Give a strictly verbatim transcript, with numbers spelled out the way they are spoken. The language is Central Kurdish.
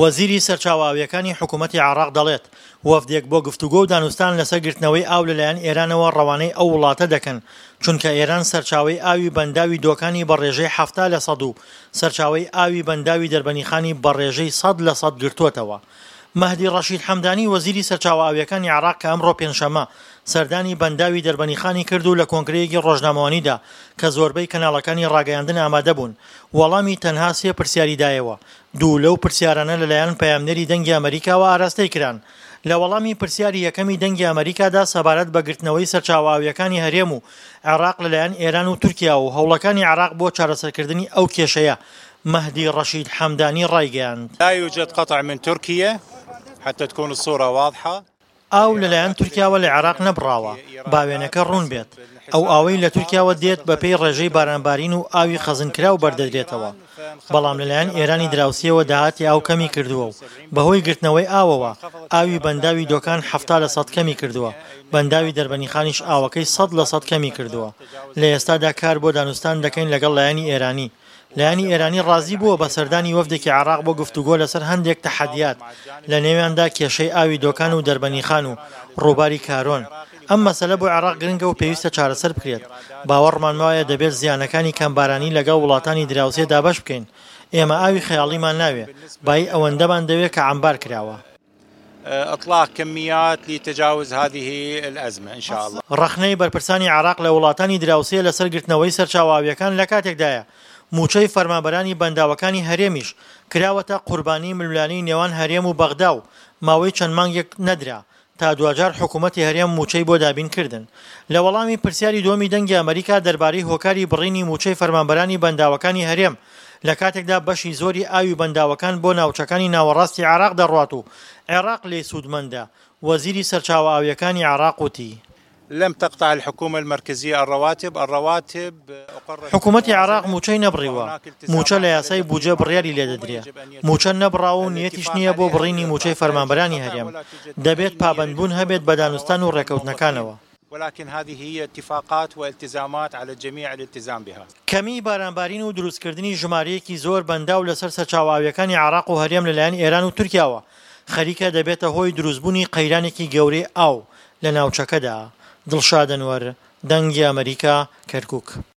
وەزیری سەرچاوە ئاوییەکانی حکوومەتی عێراق دەڵێت، وەفدێک بۆ گفتوگۆ و دانوستان لەسەر گرتنەوەی ئاو لەلایەن ئێرانەوە ڕەوانەی ئەو وڵاتە دەکەن، چونکە ئێران سەرچاوەی ئاوی بەنداوی دۆکانی بە ڕێژەی حەفتا لە سەد و سەرچاوەی ئاوی بەنداوی دەربەنیخانی بە ڕێژەی سەد لە سەد گرتووەتەوە. مەهدی ڕەشید حەمدانی وەزیری سەرچاوە ئاوییەکانی عێراق کە ئەمڕۆ پێنجشەممە سەردانی بەنداوی دەربەنیخانی کرد و لە کۆنگرەیەکی ڕۆژنامەوانیدا کە زۆربەی کەناڵەکانی ڕاگەیاندن ئامادەبوون وەڵامی تەنها سێ پرسیاری دایەوە دوو لەو پرسیارانە لەلایەن پەیامنێری دەنگی ئەمەریکاوە ئاراستەی کران. لە وەڵامی پرسیاری یەکەمی دەنگی ئەمەریکادا سەبارەت بە گرتنەوەی سەرچاوە ئاوییەکانی هەرێم و عێراق لەلایەن ئێران و تورکیاوە و هەوڵەکانی عێراق بۆ چارەسەرکردنی ئەو کێشەیە، مەهدی ڕەشید حەمدانی ڕایگەیاند. لا یوجد قطع من ترکیە حتی تکون الصورە واضحە. ئاو لەلایەن تورکیاوە لە عێراق نەبڕاوە، با وێنەکە ڕوون بێت، ئەو ئاوەی لە تورکیاوە دێت بەپێی ڕێژەی بارانبارین و ئاوی خەزنکراو بەردەدرێتەوە، بەڵام لەلایەن ئێرانی دراوسێوە داهاتی ئاو کەمی کردووە و بەهۆی گرتنەوەی ئاوەوە ئاوی بەنداوی دۆکان حەفتا لە سەد کەمی کردووە، بەنداوی دەربەنیخانیش ئاوەکەی سەد لە سەد کەمی کردووە. لە ئێستادا کار بۆ دانوستان دەکەین لەگەڵ لایەنی ئێرانی. لایەنی ئێرانی ڕازی بووە بە سەردانی وەفدێکی عێراق بۆ گفتوگۆ لەسەر هەندێک تەحەدیات، لە نێویاندا کێشەی ئاوی دۆکان و دەربەنیخان و ڕووباری کارۆن. ئەم مەسەلە بۆ عێراق گرنگە و پێویستە چارەسەر بکرێت. باوەڕمان وایە دەبێت زیانەکانی کەمبارانی لەگەڵ وڵاتانی دراوسێ دابەش بکەین. ئێمە ئاوی خەیاڵیمان ناوێ، بایی ئەوەندەمان دەوێ کە عەمبار کراوە. اطلاق کمیات لتجاوز هذه الازمە ان شاء اللە. ڕەخنەی بەرپرسانی عێراق لە وڵاتانی دراوسێ لەسەر گرتنەوەی سەرچاوە ئاوییەکان لەکاتێکدایە، مووچەی فەرمانبەرانی بەنداوەکانی هەرێمیش کراوەتە قوربانی ململانێی نێوان هەرێم و بەغدا و ماوەی چەند مانگێک نەدرا تا دواجار حکوومەتی هەرێم مووچەی بۆ دابین کردن. لە وەڵامی پرسیاری دووەمی دەنگی ئەمەریکا دەربارەی هۆکاری بڕینی مووچەی فەرمانبەرانی بەنداوەکانی هەرێم لە کاتێکدا بەشی زۆری ئاوی بەنداوەکان بۆ ناوچەکانی ناوەڕاستی عێراق دەڕوات و عێراق لێی سوودمەندە، وەزیری سەرچاوە ئاوییەکانی عێراق وتی. لم تقطع الحکومە المرکزیە الرواتب، الرواتب اقرت حکومەتی عێراق مووچەی نەبڕیوە، مووچە لە یاسای بودجە بڕیاری لێدەدرێ، مووچە نەبڕاوە و نیەتیش نییە بۆ بڕینی مووچەی فەرمانبەرانی هەرێم، دەبێت پابەندبوون هەبێت بە دانوستان و ڕێکەوتنەکانەوە. ولكن هذه هي اتفاقات والتزامات على الجميع الالتزام بها. کەمیی بارانبارین و دروستکردنی ژمارەیەکی زۆر بەنداو لەسەر سەرچاوە ئاوییەکانی عێراق و هەرێم لەلایەن ئێران و تورکیاوە خەریکە دەبێتە هۆی دروستبوونی قەیرانێکی گەورەی ئاو لە ناوچەکەدا. دڵشاد ئەنوەر، دەنگی ئەمەریکا، کەرکوک.